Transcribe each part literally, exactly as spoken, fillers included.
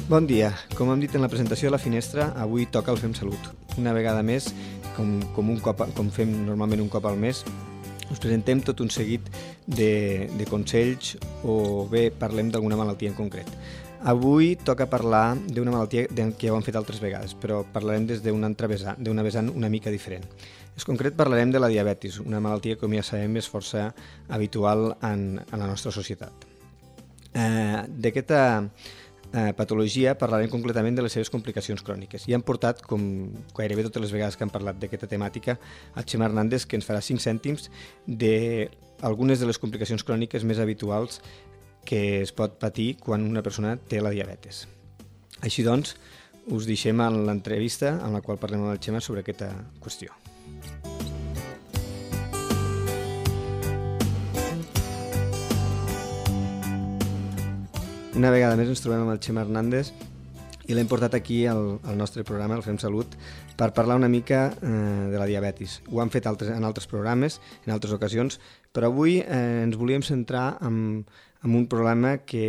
Bon dia. Com hem dit en la presentació de la finestra, avui toca el Fem Salut. Una vegada més, com, com, un cop, com fem normalment un cop al mes, us presentem tot un seguit de, de consells o bé parlem d'alguna malaltia en concret. Avui toca parlar d'una malaltia que ja ho hem fet altres vegades, però parlarem des d'una altra vessant, d'una vessant una mica diferent. En concret parlarem de la diabetis, una malaltia que, com ja sabem, és força habitual en, en la nostra societat. Eh, d'aquesta eh, patologia parlarem concretament de les seves complicacions cròniques. I hem portat, com gairebé totes les vegades que hem parlat d'aquesta temàtica, a Xema Hernández, que ens farà cinc cèntims d'algunes de les complicacions cròniques més habituals que es pot patir quan una persona té la diabetes. Així doncs, us deixem en l'entrevista en la qual parlem amb el Xema sobre aquesta qüestió. Una vegada més ens trobem amb el Xema Hernández i l'hem portat aquí al, al nostre programa, el Fem Salut, per parlar una mica eh, de la diabetis. Ho hem fet altres, en altres programes, en altres ocasions, però avui eh, ens volíem centrar en, en un problema que,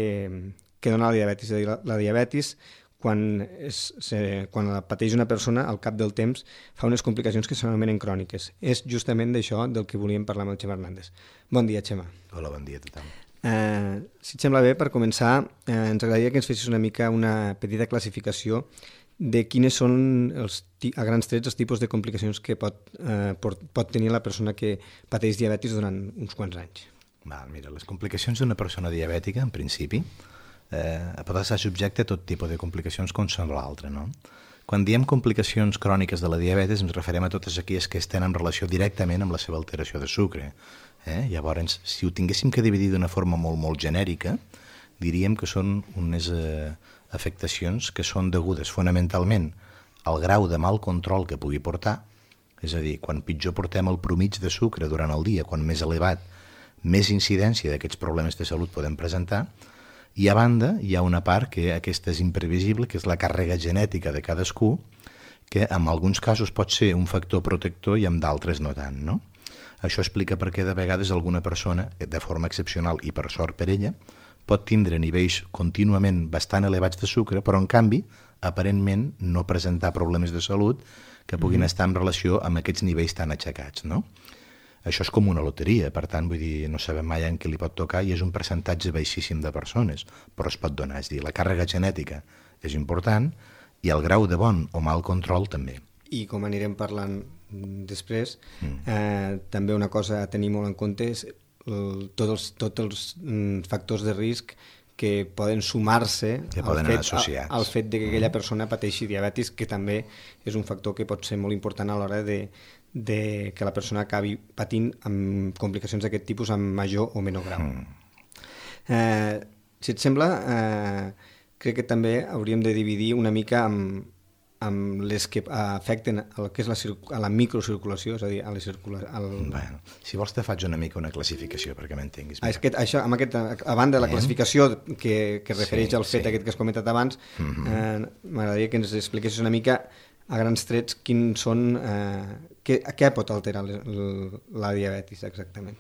que dona la diabetis. És a dir, la, la diabetis, quan, es, se, quan la pateix una persona, al cap del temps, fa unes complicacions que s'anomenen cròniques. És justament d'això del que volíem parlar amb el Xema Hernández. Bon dia, Xema. Hola, bon dia a tothom. Eh, si et sembla bé, per començar, eh, ens agradaria que ens fessis una mica una petita classificació de quines són els, a grans trets els tipus de complicacions que pot, eh, pot, pot tenir la persona que pateix diabetis durant uns quants anys. Val, mira, les complicacions d'una persona diabètica, en principi, eh, pot estar subjecte a tot tipus de complicacions com són l'altre, no? Quan diem complicacions cròniques de la diabetis ens referim a totes aquelles que tenen relació directament amb la seva alteració de sucre. Eh? Llavors, si ho tinguéssim que dividir d'una forma molt, molt genèrica, diríem que són unes eh, afectacions que són degudes fonamentalment al grau de mal control que pugui portar, és a dir, quan pitjor portem el promig de sucre durant el dia, quan més elevat, més incidència d'aquests problemes de salut podem presentar, i a banda hi ha una part que aquesta és imprevisible, que és la càrrega genètica de cadascú, que en alguns casos pot ser un factor protector i en d'altres no tant, no? Això explica per què de vegades alguna persona, de forma excepcional i per sort per ella, pot tindre nivells contínuament bastant elevats de sucre, però en canvi, aparentment, no presentar problemes de salut que puguin mm-hmm. estar en relació amb aquests nivells tan aixecats, no? Això és com una loteria, per tant, vull dir, no sabem mai en què li pot tocar i és un percentatge baixíssim de persones, però es pot donar. És dir, la càrrega genètica és important i el grau de bon o mal control també. I com anirem parlant després, mm. eh, també una cosa a tenir molt en compte és el, tots els, tots els mm, factors de risc que poden sumar-se que poden al, fet, associats. al fet de que aquella persona pateixi diabetis, que també és un factor que pot ser molt important a l'hora de, de que la persona acabi patint amb complicacions d'aquest tipus amb major o menor grau. Mm. Eh, si et sembla, eh, crec que també hauríem de dividir una mica amb amb les que afecten el que és la, a la microcirculació, és a dir, a la circula, al... Bueno, si vols te faig una mica una classificació perquè m'entenguis. Ah, és que això, amb aquest, a banda de la classificació que, que refereix sí, al fet sí. aquest que has comentat abans, mm-hmm. eh, m'agradaria que ens expliquessis una mica a grans trets quins són, eh, què, què pot alterar la, la diabetis exactament.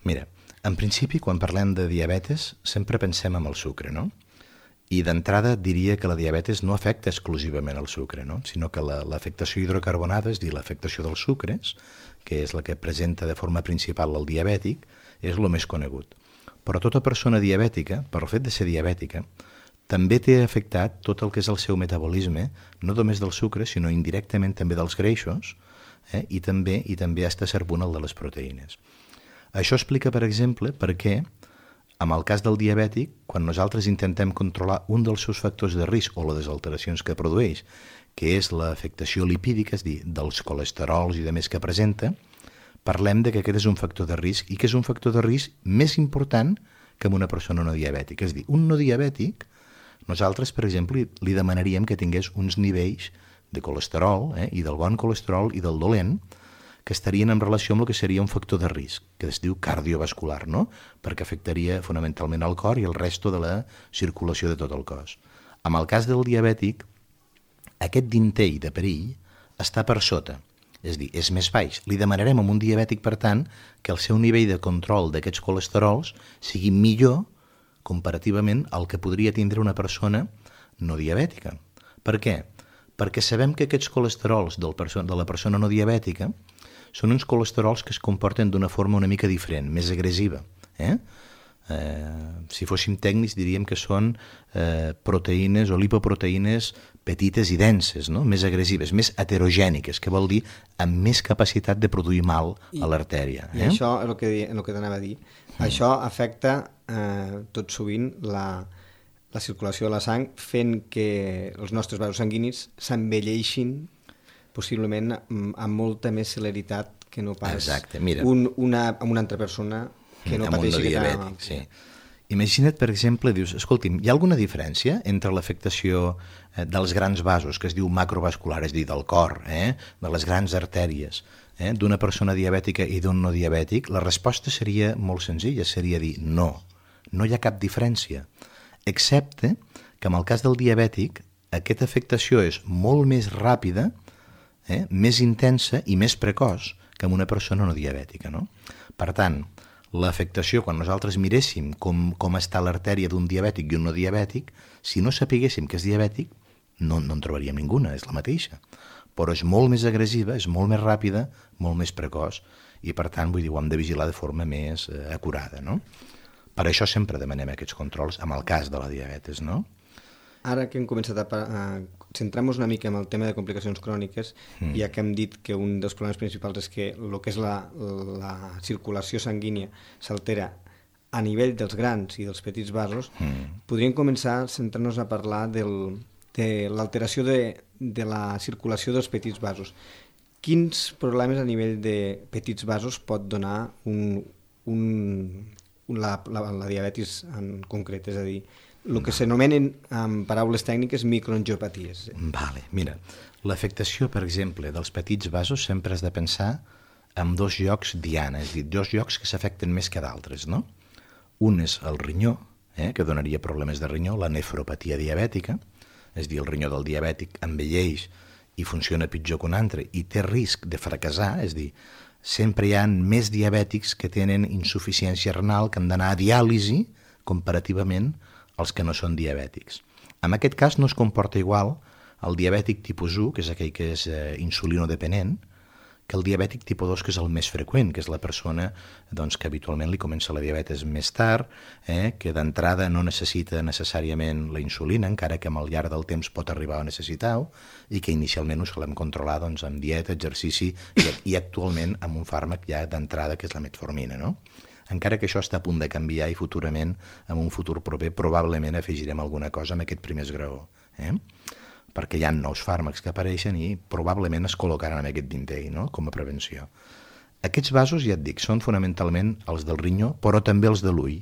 Mira, en principi quan parlem de diabetes sempre pensem en el sucre, no? I d'entrada diria que la diabetes no afecta exclusivament el sucre, no? Sinó que l'afectació la, hidrocarbonada, és dir, l'afectació dels sucres, que és la que presenta de forma principal el diabètic, és el més conegut. Però tota persona diabètica, per el fet de ser diabètica, també té afectat tot el que és el seu metabolisme, no només del sucre, sinó indirectament també dels greixos, eh? I també i també està servant el de les proteïnes. Això explica, per exemple, per què en el cas del diabètic, quan nosaltres intentem controlar un dels seus factors de risc o les alteracions que produeix, que és l'afectació lipídica, és dir, dels colesterols i de més que presenta, parlem de que aquest és un factor de risc i que és un factor de risc més important que en una persona no diabètica. És dir, un no diabètic, nosaltres, per exemple, li demanaríem que tingués uns nivells de colesterol, eh, i del bon colesterol i del dolent, que estarien en relació amb el que seria un factor de risc, que es diu cardiovascular, no? Perquè afectaria fonamentalment el cor i el resto de la circulació de tot el cos. En el cas del diabètic, aquest dintell de perill està per sota, és dir, és més baix. Li demanarem a un diabètic, per tant, que el seu nivell de control d'aquests colesterols sigui millor comparativament al que podria tindre una persona no diabètica. Per què? Perquè sabem que aquests colesterols del perso- de la persona no diabètica són uns colesterols que es comporten d'una forma una mica diferent, més agressiva. Eh? Eh, si fóssim tècnics diríem que són eh, proteïnes o lipoproteïnes petites i denses, no? Més agressives, més heterogèniques, que vol dir amb més capacitat de produir mal a l'artèria. I eh? això és el que, el que t'anava a dir. Mm. Això afecta eh, tot sovint la, la circulació de la sang, fent que els nostres vasos sanguinis s'envelleixin possiblement amb, amb molta més celeritat que no pas Exacte, mira. Un, una, amb una altra persona que no amb un no pateixi diabètic, sí. Imagina't, per exemple, dius, escolti'm, hi ha alguna diferència entre l'afectació eh, dels grans vasos, que es diu macrovascular, és a dir, del cor, eh, de les grans artèries, eh, d'una persona diabètica i d'un no diabètic? La resposta seria molt senzilla, seria dir no, no hi ha cap diferència, excepte que en el cas del diabètic aquesta afectació és molt més ràpida, eh, més intensa i més precoç que en una persona no diabètica, no? Per tant, l'afectació, quan nosaltres miréssim com, com està l'artèria d'un diabètic i un no diabètic, si no sapiguéssim que és diabètic, no, no en trobaríem ninguna, és la mateixa. Però és molt més agressiva, és molt més ràpida, molt més precoç, i per tant, vull dir, ho hem de vigilar de forma més eh, acurada, no? Per això sempre demanem aquests controls, amb el cas de la diabetes, no? Ara que hem començat a, a centrar-nos una mica en el tema de complicacions cròniques, mm. ja que hem dit que un dels problemes principals és que el que és la, la circulació sanguínia s'altera a nivell dels grans i dels petits vasos, mm. podríem començar a centrar-nos a parlar del, de l'alteració de, de la circulació dels petits vasos. Quins problemes a nivell de petits vasos pot donar un, un, la, la, la diabetis en concret? És a dir, el que s'anomenen amb paraules tècniques microangiopaties. Vale, mira, l'afectació, per exemple, dels petits vasos sempre has de pensar en dos llocs diana, és a dir, dos llocs que s'afecten més que d'altres, no? Un és el rinyó, eh, que donaria problemes de rinyó, la nefropatia diabètica, és a dir, el rinyó del diabètic envelleix i funciona pitjor que un altre i té risc de fracassar, és a dir, sempre hi ha més diabètics que tenen insuficiència renal que han d'anar a diàlisi comparativament als que no són diabètics. En aquest cas no es comporta igual el diabètic tipus u, que és aquell que és eh, insulinodependent, que el diabètic tipus dos, que és el més freqüent, que és la persona doncs, que habitualment li comença la diabetes més tard, eh, que d'entrada no necessita necessàriament la insulina, encara que amb el llarg del temps pot arribar a necessitar-ho, i que inicialment ho solem controlar doncs, amb dieta, exercici i, i actualment amb un fàrmac ja d'entrada, que és la metformina, no? Encara que això està a punt de canviar i futurament, en un futur proper, probablement afegirem alguna cosa amb aquest primer esgraó. Eh? Perquè hi ha nous fàrmacs que apareixen i probablement es col·locaran en aquest vintell, no? Com a prevenció. Aquests vasos, ja et dic, són fonamentalment els del rinyó, però també els de l'ull.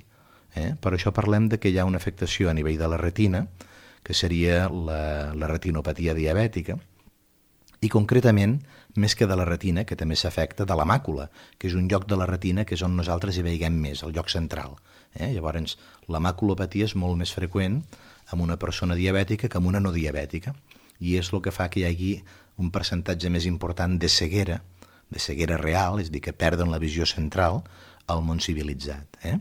Eh? Per això parlem de que hi ha una afectació a nivell de la retina, que seria la, la retinopatia diabètica, i concretament, més que de la retina, que també s'afecta de la màcula, que és un lloc de la retina que és on nosaltres hi veiem més, el lloc central. Eh? Llavors, la maculopatia és molt més freqüent en una persona diabètica que en una no diabètica, i és el que fa que hi hagi un percentatge més important de ceguera, de ceguera real, és a dir, que perden la visió central al món civilitzat. Eh?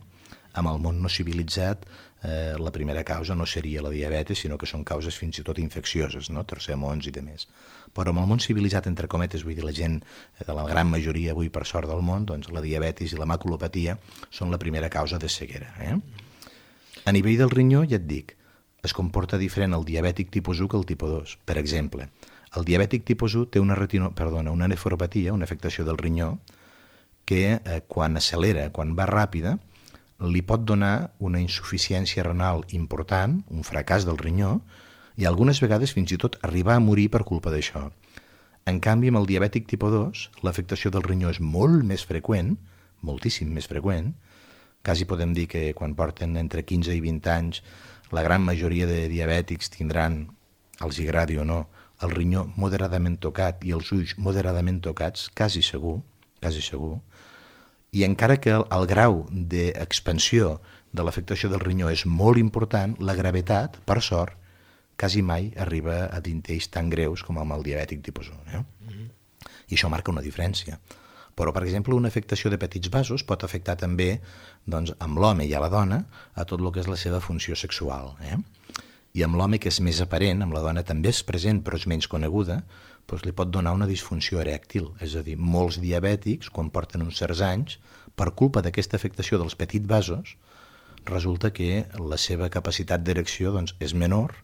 Amb el món no civilitzat, eh, la primera causa no seria la diabetes, sinó que són causes fins i tot infeccioses, no? Tercer-mons i demés. Però amb el món civilitzat, entre cometes, vull dir, la gent de la gran majoria avui per sort del món, doncs la diabetis i la maculopatia són la primera causa de ceguera. Eh? A nivell del rinyó, ja et dic, es comporta diferent el diabètic tipus u que el tipus dos. Per exemple, el diabètic tipus u té una, retino, perdona, una nefropatia, una afectació del rinyó, que eh, quan accelera, quan va ràpida, li pot donar una insuficiència renal important, un fracàs del rinyó, i algunes vegades fins i tot arribar a morir per culpa d'això. En canvi, amb el diabètic tipus dos, l'afectació del rinyó és molt més freqüent, moltíssim més freqüent, quasi podem dir que quan porten entre quinze i vint anys, la gran majoria de diabètics tindran, els hi agradi o no, el rinyó moderadament tocat i els ulls moderadament tocats, quasi segur, quasi segur, i encara que el, el grau d'expansió de l'afectació del rinyó és molt important, la gravetat, per sort, quasi mai arriba a dintells tan greus com amb el diabètic tipus u. Eh? Mm-hmm. I això marca una diferència. Però, per exemple, una afectació de petits vasos pot afectar també doncs, amb l'home i a la dona a tot el que és la seva funció sexual. Eh? i amb l'home que és més aparent, amb la dona també és present però és menys coneguda, doncs li pot donar una disfunció erèctil. És a dir, molts diabètics, quan porten uns certs anys, per culpa d'aquesta afectació dels petits vasos, resulta que la seva capacitat d'erecció doncs, és menor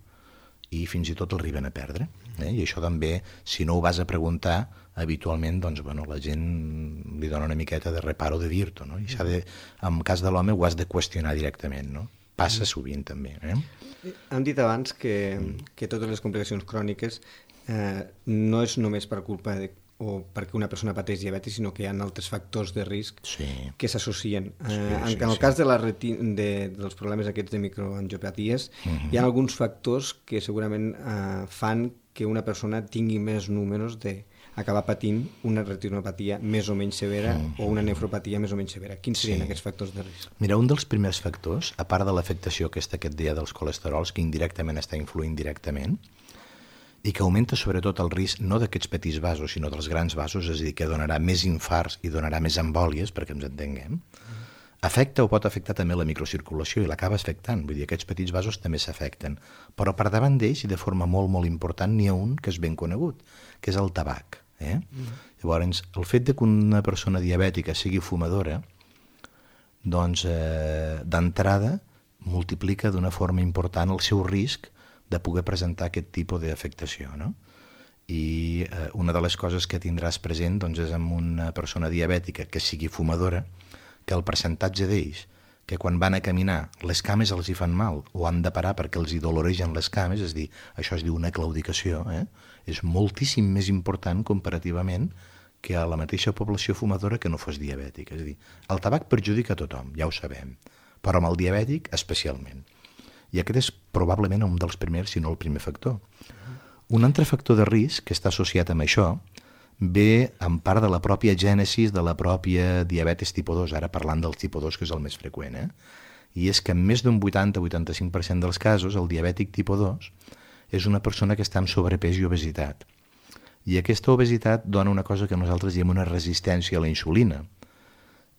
i fins i tot l'arriben a perdre. Eh? I això també, si no ho vas a preguntar, habitualment doncs, bueno, la gent li dona una miqueta de reparo de dir-t'ho. No? I s'ha de, en cas de l'home ho has de qüestionar directament. No? Passa sovint també. Eh? Hem dit abans que, que totes les complicacions cròniques eh, no és només per culpa de, o perquè una persona pateix diabetis, sinó que hi ha altres factors de risc sí. que s'associen. Eh, sí, sí, en, en el sí. cas de la reti de, dels problemes aquests de microangiopaties, uh-huh. hi ha alguns factors que segurament eh, fan que una persona tingui més números de acabar patint una retinopatia més o menys severa mm. o una nefropatia més o menys severa. Quins serien sí. aquests factors de risc? Mira, un dels primers factors, a part de l'afectació que està aquest dia dels colesterols, que indirectament està influint directament, i que augmenta sobretot el risc no d'aquests petits vasos, sinó dels grans vasos, és a dir, que donarà més infarts i donarà més embòlies, perquè ens entenguem, mm. afecta o pot afectar també la microcirculació i l'acaba afectant, vull dir, aquests petits vasos també s'afecten. Però per davant d'ells, i de forma molt, molt important, n'hi ha un que és ben conegut, que és el tabac. Eh? Mm. Llavors, el fet de que una persona diabètica sigui fumadora, doncs, eh, d'entrada, multiplica d'una forma important el seu risc de poder presentar aquest tipus d'afectació, no? I eh, una de les coses que tindràs present doncs, és amb una persona diabètica que sigui fumadora, que el percentatge d'ells que quan van a caminar les cames els hi fan mal o han de parar perquè els hi doloregen les cames, és a dir, això es diu una claudicació, eh? És moltíssim més important comparativament que a la mateixa població fumadora que no fos diabètica. És a dir, el tabac perjudica a tothom, ja ho sabem, però amb el diabètic especialment. I aquest és probablement un dels primers, si no el primer factor. Un altre factor de risc que està associat amb això ve en part de la pròpia gènesis de la pròpia diabetis tipus dos, ara parlant del tipus dos, que és el més freqüent, eh? I és que en més d'un vuitanta a vuitanta-cinc per cent dels casos el diabètic tipus dos és una persona que està amb sobrepès i obesitat. I aquesta obesitat dona una cosa que nosaltres diem una resistència a la insulina.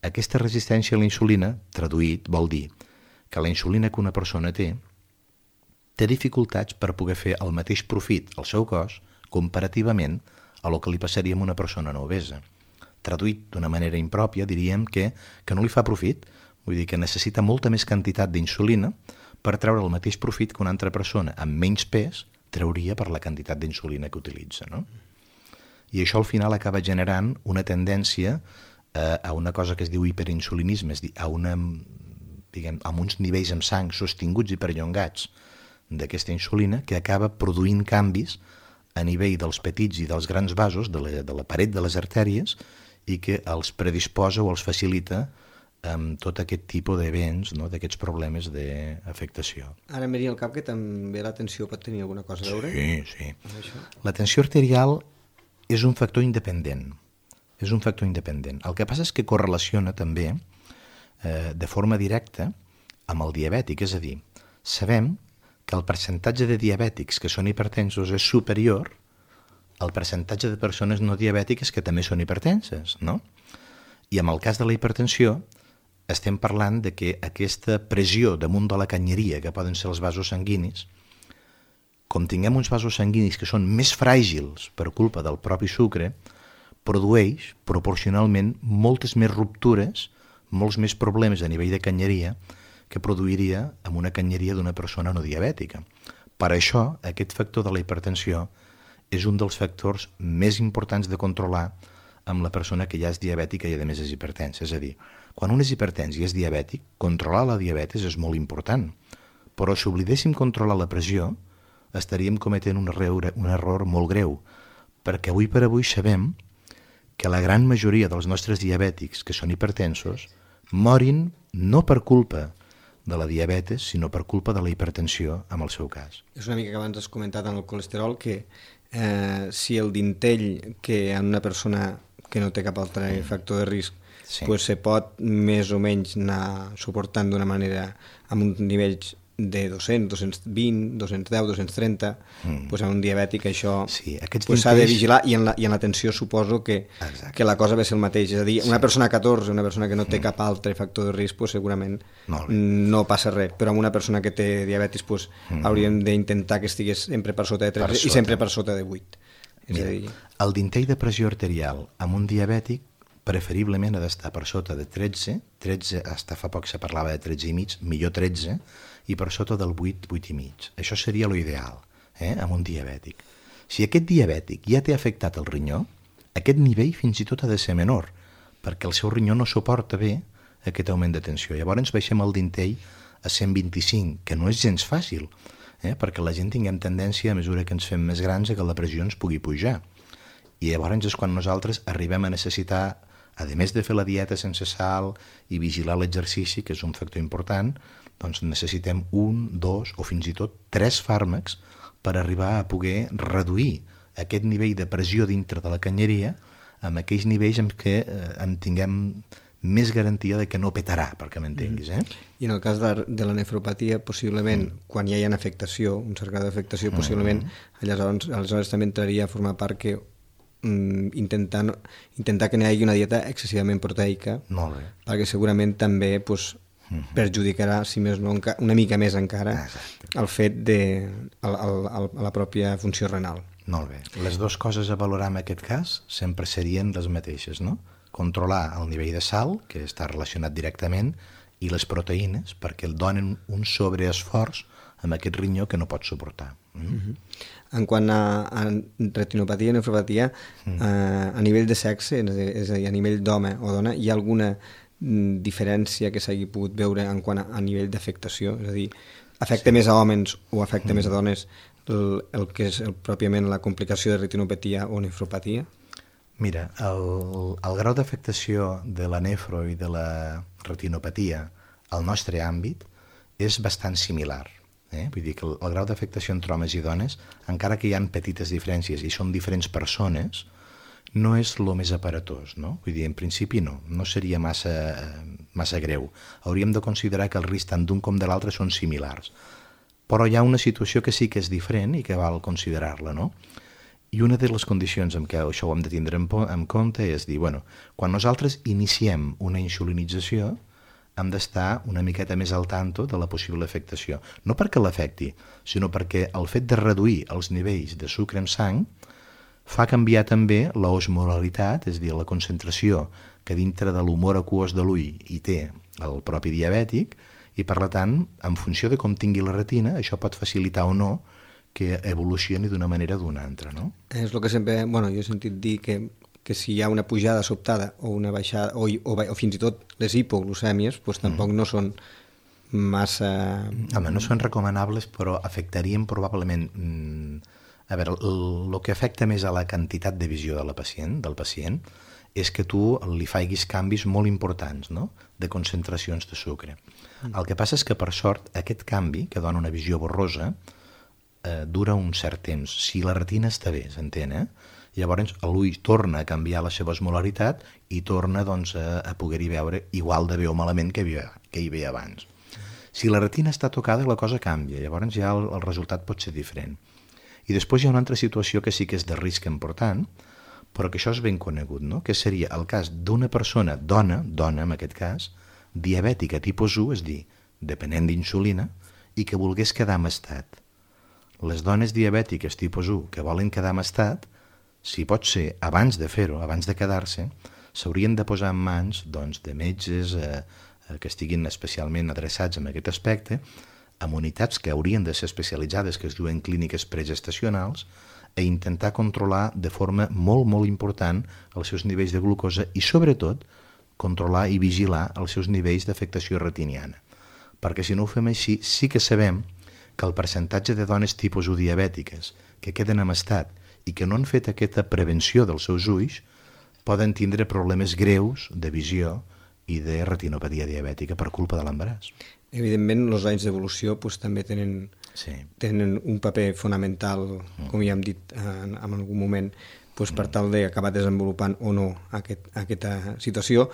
Aquesta resistència a la insulina, traduït, vol dir que la insulina que una persona té té dificultats per poder fer el mateix profit al seu cos comparativament a lo que li passaria a una persona no obesa. Traduït d'una manera impròpia, diríem que, que no li fa profit, vull dir que necessita molta més quantitat d'insulina per treure el mateix profit que una altra persona amb menys pes trauria per la quantitat d'insulina que utilitza. No? I això al final acaba generant una tendència eh, a una cosa que es diu hiperinsulinisme, és a dir, a, una, diguem, a uns nivells en sang sostinguts i perllongats d'aquesta insulina que acaba produint canvis a nivell dels petits i dels grans vasos de la, de la paret de les artèries i que els predisposa o els facilita amb tot aquest tipus d'events, no? D'aquests problemes d'afectació. Ara em venia al cap que també la tensió pot tenir alguna cosa a veure? Sí, sí. La tensió arterial és un factor independent. És un factor independent. El que passa és que correlaciona també eh, de forma directa amb el diabètic, és a dir, sabem que el percentatge de diabètics que són hipertensos és superior al percentatge de persones no diabètiques que també són hipertenses, no? I en el cas de la hipertensió estem parlant de que aquesta pressió damunt de la canyeria que poden ser els vasos sanguinis, com tinguem uns vasos sanguinis que són més fràgils per culpa del propi sucre, produeix proporcionalment moltes més ruptures, molts més problemes a nivell de canyeria que produiria amb una canyeria d'una persona no diabètica. Per això, aquest factor de la hipertensió és un dels factors més importants de controlar amb la persona que ja és diabètica i a més és hipertensa. És a dir, quan un és hipertens i és diabètic, controlar la diabetes és molt important. Però si oblidéssim controlar la pressió, estaríem cometent un error, un error molt greu, perquè avui per avui sabem que la gran majoria dels nostres diabètics que són hipertensos morin no per culpa de la diabetes, sinó per culpa de la hipertensió, en el seu cas. És una mica que abans has comentat en el colesterol que eh, si el dintell que en una persona que no té cap altre mm. factor de risc sí. pues se pot més o menys anar suportant d'una manera amb uns nivells de dos-cents, dos-cents vint, dos-cents deu, dos-cents trenta, mm. pues a un diabètic això sí, s'ha dintells... de vigilar, i en la, i en l'atenció suposo que, que la cosa ve ser el mateix. És a dir, una sí. persona catorze, una persona que no té mm. cap altre factor de risc, pues segurament no passa res, però amb una persona que té diabetis pues, mm. hauríem d'intentar que estigués sempre per sota de tretze i sempre per sota de vuit. És Mira, a dir... el dintell de pressió arterial amb un diabètic preferiblement ha d'estar per sota de tretze, tretze, hasta fa poc se parlava de tretze i mig, millor tretze, i per sota del vuit, vuit i mig. Això seria l'ideal, eh, amb un diabètic. Si aquest diabètic ja té afectat el rinyó, aquest nivell fins i tot ha de ser menor, perquè el seu rinyó no suporta bé aquest augment de tensió. Llavors baixem el dintell a cent vint-i-cinc, que no és gens fàcil, eh, perquè la gent tinguem tendència, a mesura que ens fem més grans, a que la pressió ens pugui pujar. I llavors és quan nosaltres arribem a necessitar, a més de fer la dieta sense sal i vigilar l'exercici, que és un factor important, doncs necessitem un, dos o fins i tot tres fàrmacs per arribar a poder reduir aquest nivell de pressió dintre de la canyeria amb aquells nivells en què eh, en tinguem més garantia de que no petarà, perquè m'entenguis. Eh? I en el cas de, de la nefropatia, possiblement, mm. quan ja hi ha afectació, un cert grau d'afectació, possiblement, mm. aleshores, aleshores també entraria a formar part que mm, intentar, intentar que n'hi hagi una dieta excessivament proteica, Molt bé. perquè segurament també pues, mm-hmm. perjudicarà, si més no, una mica més encara, Exacte. el fet de el, el, el, la pròpia funció renal. Molt bé. Les dues coses a valorar en aquest cas sempre serien les mateixes, no? Controlar el nivell de sal, que està relacionat directament, i les proteïnes, perquè el donen un sobreesforç amb aquest rinyó que no pot suportar. Mm? Mm-hmm. En quant a, a retinopatia i nefropatia, mm. eh, a nivell de sexe, és a dir, a nivell d'home o dona, hi ha alguna diferència que s'hagi pogut veure en quant a, a nivell d'afectació? És a dir, afecta sí. més a homes o afecta mm. més a dones el, el que és el, pròpiament la complicació de retinopatia o nefropatia? Mira, el, el grau d'afectació de la nefro i de la retinopatia al nostre àmbit és bastant similar. Eh? Vull dir que el, el grau d'afectació entre homes i dones, encara que hi ha petites diferències i són diferents persones, no és el més aparatós, no? Vull dir, en principi no, no seria massa, massa greu. Hauríem de considerar que el risc tant d'un com de l'altre són similars. Però hi ha una situació que sí que és diferent i que val considerar-la, no? I una de les condicions en què això ho hem de tindre en, en compte és dir, bueno, quan nosaltres iniciem una insulinització, hem d'estar una miqueta més al tanto de la possible afectació. No perquè l'afecti, sinó perquè el fet de reduir els nivells de sucre en sang fa canviar també l'osmolaritat, és a dir, la concentració que dintre de l'humor aquós de l'ull hi té el propi diabètic, i per tant, en funció de com tingui la retina, això pot facilitar o no que evolucioni d'una manera o d'una altra, no? És el que sempre, bueno, jo he sentit dir que, que si hi ha una pujada sobtada o una baixada, o, o, o fins i tot les hipoglucèmies, doncs tampoc mm. no són massa... Home, no són recomanables, però afectarien probablement... Mm, a veure, el, el que afecta més a la quantitat de visió de la pacient, del pacient és que tu li faiguis canvis molt importants, no?, de concentracions de sucre. Mm. El que passa és que, per sort, aquest canvi, que dona una visió borrosa, eh, dura un cert temps. Si la retina està bé, s'entén, eh? Llavors l'ull torna a canviar la seva osmolaritat i torna doncs, a, a poder-hi veure igual de bé o malament que, havia, que hi veia abans. Si la retina està tocada, la cosa canvia, llavors ja el, el resultat pot ser diferent. I després hi ha una altra situació que sí que és de risc important, però que això és ben conegut, no? Que seria el cas d'una persona, dona, dona en aquest cas, diabètica tipus u, és dir, dependent d'insulina, i que volgués quedar en estat. Les dones diabètiques tipus u que volen quedar en estat, si pot ser abans de fer-ho, abans de quedar-se, s'haurien de posar en mans doncs, de metges eh, que estiguin especialment adreçats en aquest aspecte, amb unitats que haurien de ser especialitzades, que es diuen clíniques pregestacionals, a intentar controlar de forma molt, molt important els seus nivells de glucosa i, sobretot, controlar i vigilar els seus nivells d'afectació retiniana. Perquè si no ho fem així, sí que sabem que el percentatge de dones tipus u diabètiques que queden en estat i que no han fet aquesta prevenció dels seus ulls poden tindre problemes greus de visió i de retinopatia diabètica per culpa de l'embaràs. Evidentment, els anys d'evolució doncs, també tenen, sí. tenen un paper fonamental, mm. com ja hem dit en, en algun moment, doncs, per tal d'acabar desenvolupant o no aquest, aquesta situació.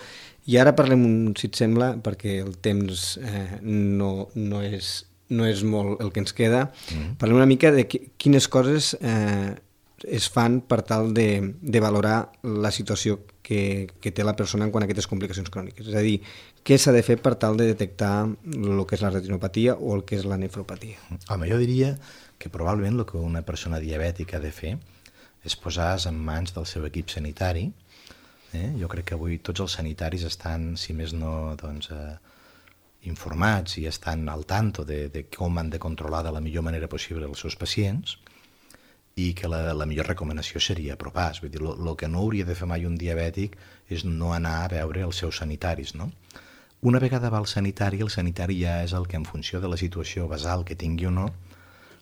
I ara parlem, si et sembla, perquè el temps eh, no, no és no és molt el que ens queda. Mm. Parlem una mica de quines coses eh, es fan per tal de, de valorar la situació que, que té la persona en quant a aquestes complicacions cròniques. És a dir, què s'ha de fer per tal de detectar el que és la retinopatia o el que és la nefropatia? Home, jo diria que probablement el que una persona diabètica ha de fer és posar-se en mans del seu equip sanitari. Eh? Jo crec que avui tots els sanitaris estan, si més no, doncs, eh, informats i estan al tanto de, de com han de controlar de la millor manera possible els seus pacients, i que la, la millor recomanació seria apropar-se. Vull dir, el que no hauria de fer mai un diabètic és no anar a veure els seus sanitaris, no? Una vegada va al sanitari, el sanitari ja és el que, en funció de la situació basal que tingui o no,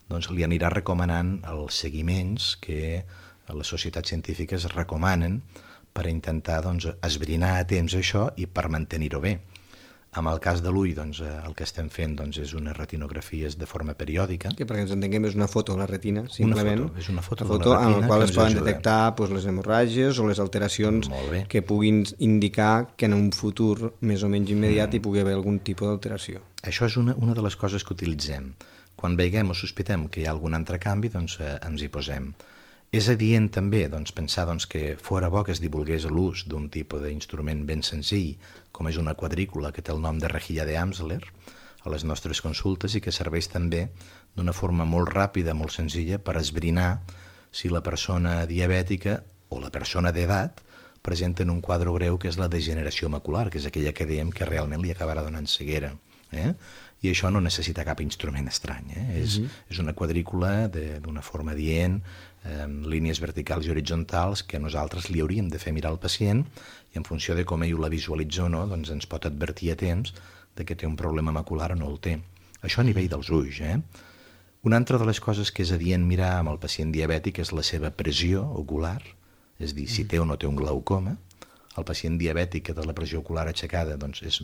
doncs li anirà recomanant els seguiments que les societats científiques recomanen per intentar doncs, esbrinar a temps això i per mantenir-ho bé. En el cas de l'ull, doncs, el que estem fent doncs, és unes retinografies de forma periòdica. Que perquè ens entenguem és una foto de la retina, simplement. Una foto, és una foto, una foto de la retina en la qual es poden ajuda. detectar doncs, les hemorràgies o les alteracions que puguin indicar que en un futur més o menys immediat mm. hi pugui haver algun tipus d'alteració. Això és una, una de les coses que utilitzem. Quan veiem o sospitem que hi ha algun altre canvi, doncs eh, ens hi posem. És adient també doncs, pensar doncs, que fora bo que es divulgués l'ús d'un tipus d'instrument ben senzill, com és una quadrícula que té el nom de rejilla de Amsler, a les nostres consultes i que serveix també d'una forma molt ràpida, molt senzilla, per esbrinar si la persona diabètica o la persona d'edat presenten un quadre greu que és la degeneració macular, que és aquella que dèiem que realment li acabarà donant ceguera. Eh? I això no necessita cap instrument estrany. Eh? És, mm-hmm. és una quadrícula d'una forma adient, eh, línies verticals i horitzontals que nosaltres li hauríem de fer mirar al pacient i en funció de com ell la visualitza o no, doncs ens pot advertir a temps de que té un problema macular o no el té. Això a nivell dels ulls. Eh? Una altra de les coses que és adient mirar amb el pacient diabètic és la seva pressió ocular, és dir, si té o no té un glaucoma. El pacient diabètic que té la pressió ocular aixecada doncs és,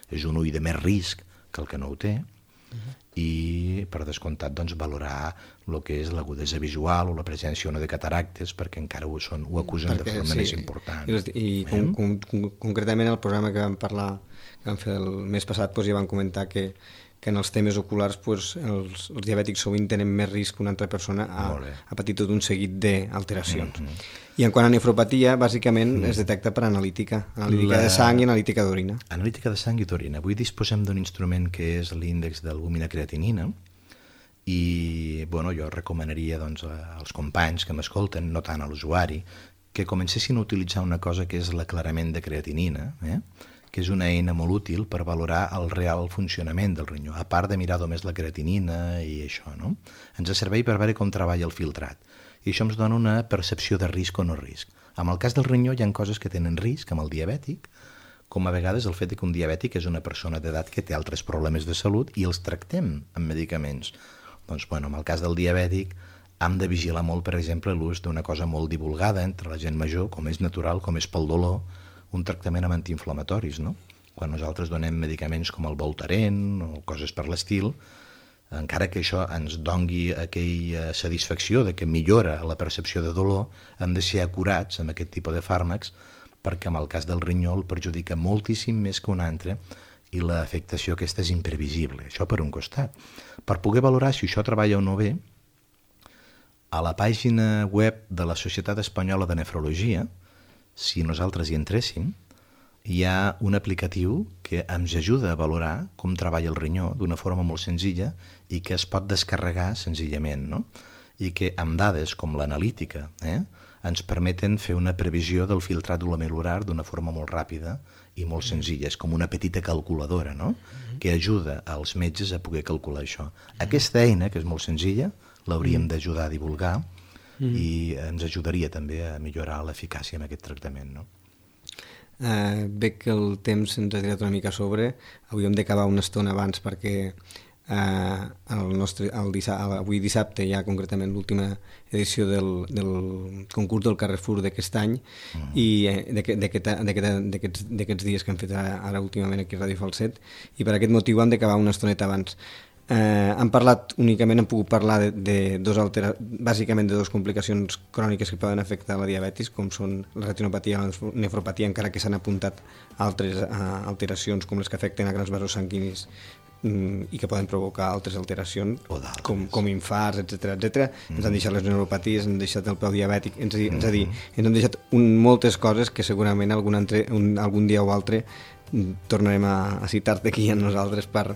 és un ull de més risc que el que no ho té, uh-huh. i per descomptat doncs, valorar el que és l'agudesa visual o la presència o no de cataractes, perquè encara ho, són, ho acusen perquè, de forma sí, més important. I, i eh? con, con, con, concretament el programa que vam parlar, que vam fer el mes passat, doncs, ja van comentar que, que en els temes oculars doncs, els, els diabètics sovint tenen més risc que una altra persona a, a patir tot un seguit d'alteracions. Mm-hmm. I en quant a nefropatia, bàsicament mm. es detecta per analítica, analítica la... de sang i analítica d'orina. Analítica de sang i d'orina. Avui disposem d'un instrument que és l'índex d'albumina-creatinina i bueno, jo recomanaria doncs, als companys que m'escolten, no tant a l'usuari, que comencessin a utilitzar una cosa que és l'aclarament de creatinina, eh? que és una eina molt útil per valorar el real funcionament del ronyó, a part de mirar només la creatinina i això, no? Ens serveix per veure com treballa el filtrat. I això ens dona una percepció de risc o no risc. En el cas del ronyó hi ha coses que tenen risc, amb el diabètic, com a vegades el fet que un diabètic és una persona d'edat que té altres problemes de salut i els tractem amb medicaments. Doncs, bueno, en el cas del diabètic hem de vigilar molt, per exemple, l'ús d'una cosa molt divulgada entre la gent major, com és natural, com és pel dolor, un tractament amb antiinflamatoris, no? Quan nosaltres donem medicaments com el Voltaren o coses per l'estil, encara que això ens dongui aquella satisfacció de que millora la percepció de dolor, hem de ser acurats amb aquest tipus de fàrmacs perquè en el cas del rinyó el perjudica moltíssim més que un altre i l'afectació aquesta és imprevisible. Això per un costat. Per poder valorar si això treballa o no bé, a la pàgina web de la Societat Espanyola de Nefrologia, si nosaltres hi entréssim, hi ha un aplicatiu que ens ajuda a valorar com treballa el rinyó d'una forma molt senzilla i que es pot descarregar senzillament, no? I que amb dades com l'analítica eh, ens permeten fer una previsió del filtrat glomerular d'una forma molt ràpida i molt senzilla. És com una petita calculadora, no? Que ajuda als metges a poder calcular això. Aquesta eina, que és molt senzilla, l'hauríem d'ajudar a divulgar Mm. i ens ajudaria també a millorar l'eficàcia en aquest tractament, no? Uh, veig que el temps ens ha tirat una mica a sobre. Hauríem d'acabar una estona abans perquè uh, el nostre, el dissabte, avui dissabte hi ha concretament l'última edició del, del concurs del Carrefour d'aquest any mm. i d'aquests dies que hem fet ara, ara últimament aquí a Ràdio Falset, i per aquest motiu hem d'acabar una estoneta abans. Eh, han parlat únicament, han pogut parlar de, de dos altera, bàsicament de dues complicacions cròniques que poden afectar la diabetis, com són la retinopatia i la nefropatia, encara que s'han apuntat altres uh, alteracions com les que afecten a grans vasos sanguinis i que poden provocar altres alteracions, d'altres. com, com infarts, etcètera, etcètera. Mm. Ens han deixat les neuropaties, ens han deixat el peu diabètic, ens, mm. és a dir, ens han deixat un, moltes coses que segurament algun, altre, un, algun dia o altre tornarem a, a citar-te aquí a nosaltres per,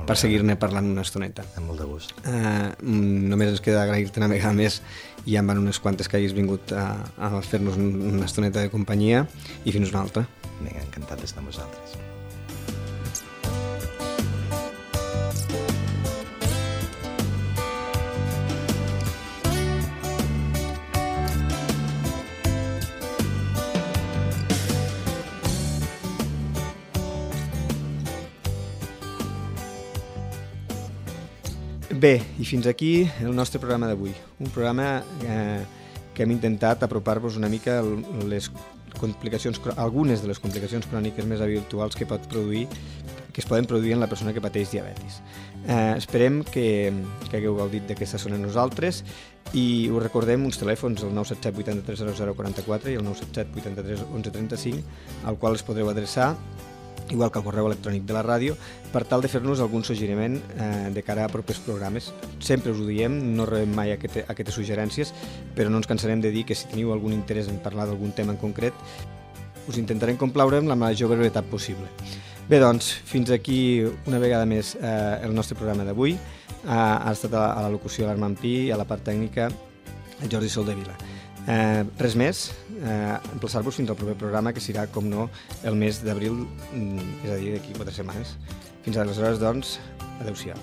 per seguir-ne parlant una estoneta. Amb molt de gust. Uh, només ens queda agrair-te una vegada més, i ja en van unes quantes que hagis vingut a, a fer-nos una estoneta de companyia, i fins una altra. Vinga, encantat d'estar amb vosaltres. Bé, i fins aquí el nostre programa d'avui. Un programa eh, que hem intentat apropar-vos una mica les complicacions, algunes de les complicacions cròniques més habituals que pot produir, que es poden produir en la persona que pateix diabetis. Eh, esperem que, que hagueu gaudit d'aquesta zona nosaltres, i us recordem uns telèfons, el nou set set vuit tres zero zero quatre quatre i el nou set set vuit tres onze trenta-cinc, al qual es podreu adreçar, igual que el correu electrònic de la ràdio, per tal de fer-nos algun suggeriment eh, de cara a propers programes. Sempre us ho diem, no rebem mai aquest, aquestes suggerències, però no ens cansarem de dir que si teniu algun interès en parlar d'algun tema en concret, us intentarem complaure amb la major brevetat possible. Bé, doncs, fins aquí una vegada més eh, el nostre programa d'avui. Eh, ha estat a, a la locució l'Armand Pi i a la part tècnica el Jordi Soldevila. Eh, res més, eh, emplaçar-vos fins al proper programa, que serà, com no, el mes d'abril, és a dir, d'aquí quatre setmanes. Fins aleshores, doncs, adeu-siau.